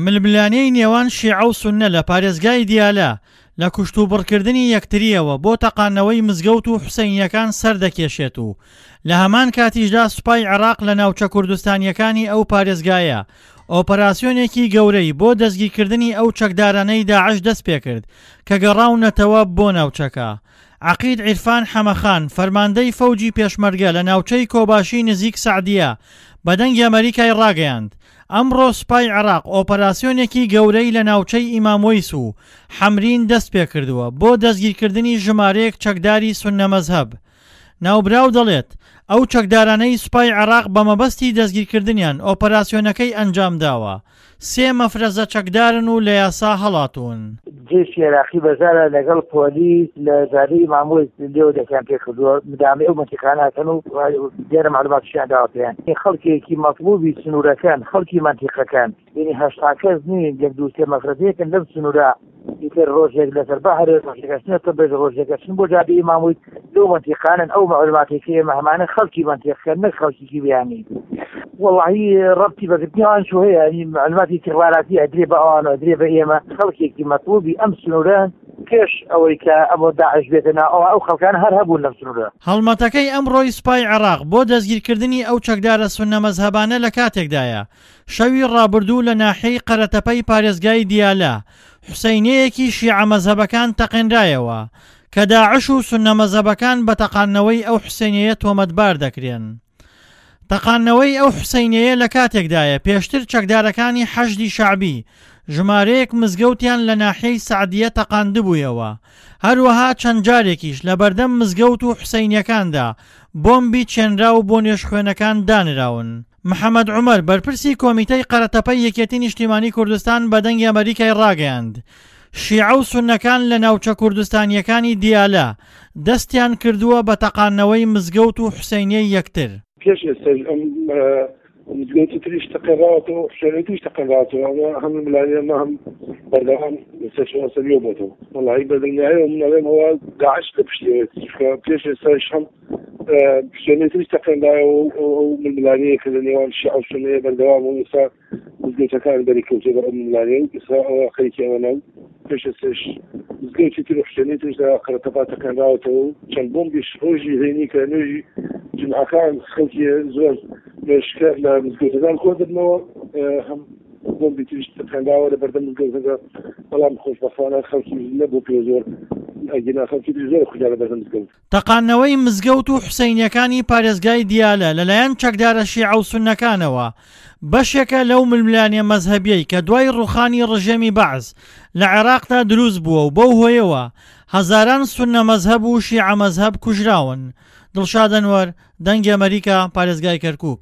ململانێی نێوان شیعە و سوننە لە پارێزگای دیالە لە کوشتوبڕکردنی یەکترییەوە بۆ تەقاندنەوەی مزگەوت و حوسەینییەکان سەردەکێشێت و لە هەمان کاتیشدا سوپای عێراق لە ناوچە کوردستانییەکانی ئەو پارێزگایە ئۆپەراسیۆنێکی گەورەی بۆ دەستگیرکردنی ئەو چەکدارانەی داعش دەستپێکرد کە گەڕاونەتەوە بۆ ناوچەکە. عەقید عیرفان حەمەخان، فەرماندەی فەوجی پێشمەرگە لە ناوچەی کۆباشی نزیک سەعدیە بە دەنگی ئەمەریکای ڕاگەیاند، ئەمڕۆ سوپای عێراق ئۆپەراسیۆنێکی گەورەی لە ناوچەی ئیمام وەیس و حەمرین دەستپێکردووە بۆ دەستگیرکردنی ژمارەیەک چەکداری سوننە مەزهەب. ناوبراو دەڵێت، ئەو چەکدارانەی سوپای عێراق بە مەبەستی دەستگیرکردنیان ئۆپەراسیۆنەکەی ئەنجامداوە، سێ مەفرەزە چەکدارن و لە یاسا هەڵاتوون. جەیشی عێراقی بەشدارە لەگەڵ پۆلیس لە جادەی ئیمام وەیس لێوە دەستیان پێکردووە، مدامەی ئەو مەنتیقانە ئەکەن و دیارە مەعلوماتیشیان داوە پێیان. خەڵکێکی مەتڵوبی سنوورەکەن، خەڵکی مەنتیقەکەن. یعنی 80 کەس نین یەک دوو سێ مەفرەزەیەکن لەم سنوورە ئیتر ڕۆژێک لەسەر بەهرێ ڕۆژێک ئەچنە تەبرێز ڕۆژێک ئەچن بۆ جادەی ئیمام وەیس لەو مەنتیقانەن ئەو مەعلوماتێک کە ئێمە هەمانە خەڵکی مەنتیقەکەن نەک خەڵکیکی بیانی وەڵاهی ڕەبتی بەگرتنی ئەوان شو هەیە یعنی مەعلوماتی استخباراتی ئەدرێ بە ئەوان و ئەدرێ بە ئێمە خەڵکێکی مەطلوبی ئەم سنوورە پێش ئەوەی کە ئەمۆ داعش بێتە ناو ئەوە ئەو خەڵکان هەر هەبوون لەم سنوورە. هەڵمەتەکەی ئەمڕۆی سوپای عێراق بۆ دەستگیرکردنی ئەو چەکدارە سوننە مەزهەبانە لە کاتێکدایە شەوی ڕابردوو لە ناحیەی قەرەتەپەی پارێزگای دیالە، حوسەینیەیەکی شیعە مەزهەبەکان تەقێنرایەوە، کە داعش و سوننە مەزهەبەکان بە تەقاندنەوەی ئەو حوسەینیەیە تۆمەتبار دەکرێن. تەقاندنەوەی ئەو حوسەینیەیە لە کاتێکدایە، پێشتر چەکدارەکانی حەشدی شەعبی ژمارەیەک مزگەوتیان لە ناحیەی سەعدیە تەقاندبوویەوە، هەروەها چەند جارێکیش لەبەردەم مزگەوت و حوسەینیەکاندا بۆمبی چێنراو بۆ نوێژخوێنەکان دانراون. محەمەد عومەر، بەرپرسی کۆمیتەی قەرەتەپەی یەکێتی نیشتیمانی کوردستان بە دەنگی ئەمەریکای ڕاگەیاند، شیعە و سوننەکان لە ناوچە کوردستانییەکانی دیالە دەستیان کردووە بە تەقاندنەوەی مزگەوت و حوسەینیەی یەکتر. پێش ئێستاش ئەم مزگەوتی تریش تەقێنراوەتەوە و حوسێنیەی تریش تەقێنراوەتەوە، ئەمە هەم ململانێ هەم بەردەوام لەسەر چارەسەریەوە بۆتەوە. وەڵاهی بەدڵنیایەوە من ئەڵێم ئەوە داعش لە پشتیەوەیەتی، چونکە پێش ئێستاش هەم شوێنی تریش تەقێنرایەوە و ئەو ململانێیە کە لە نێوان شیعە و سوننەیە بەردەوامە و ئێستا مزگەوتەکان بەری کەوتووە بەر ئەو ململانێ و ئێستا ئەوە خەریکی ئەوەنە و پێش ئێستاش مزگەوتی تر و حوسێنی تریش لە قەرەتەپا تەقێنراوەتەوە و چەند بۆمبیش ڕۆژی هەینی کە نوێژی جومعەکان خەڵکی زۆر نوێژکەر لە مزگەوتەکان کۆ دەبنەوە هەم بۆمبی تریش تەقێنراوە لە بەردەم مزگەوتەکە بەڵام خۆشبەختانە خەڵکی نەبوو پێ زۆر ئەگینا خەڵکی تری زۆر خودا لە بەردەم مزگەوت. تەقاندنەوەی مزگەوت و حوسەینیەکانی پارێزگای دیالە لەلایەن چەکدارە شیعە و سوننەکانەوە بەشێکە لەو ململانێ مەزهەبیەی کە دوای ڕوخانی ڕژێمی بەعس لە عێراقدا دروست بووە و بەو هۆیەوە هەزاران سوننە مەزهەب و شیعە مەزهەب کوژراون. دڵشاد ئەنوەر، دەنگی ئەمەریکا، پارێزگای کەرکوک.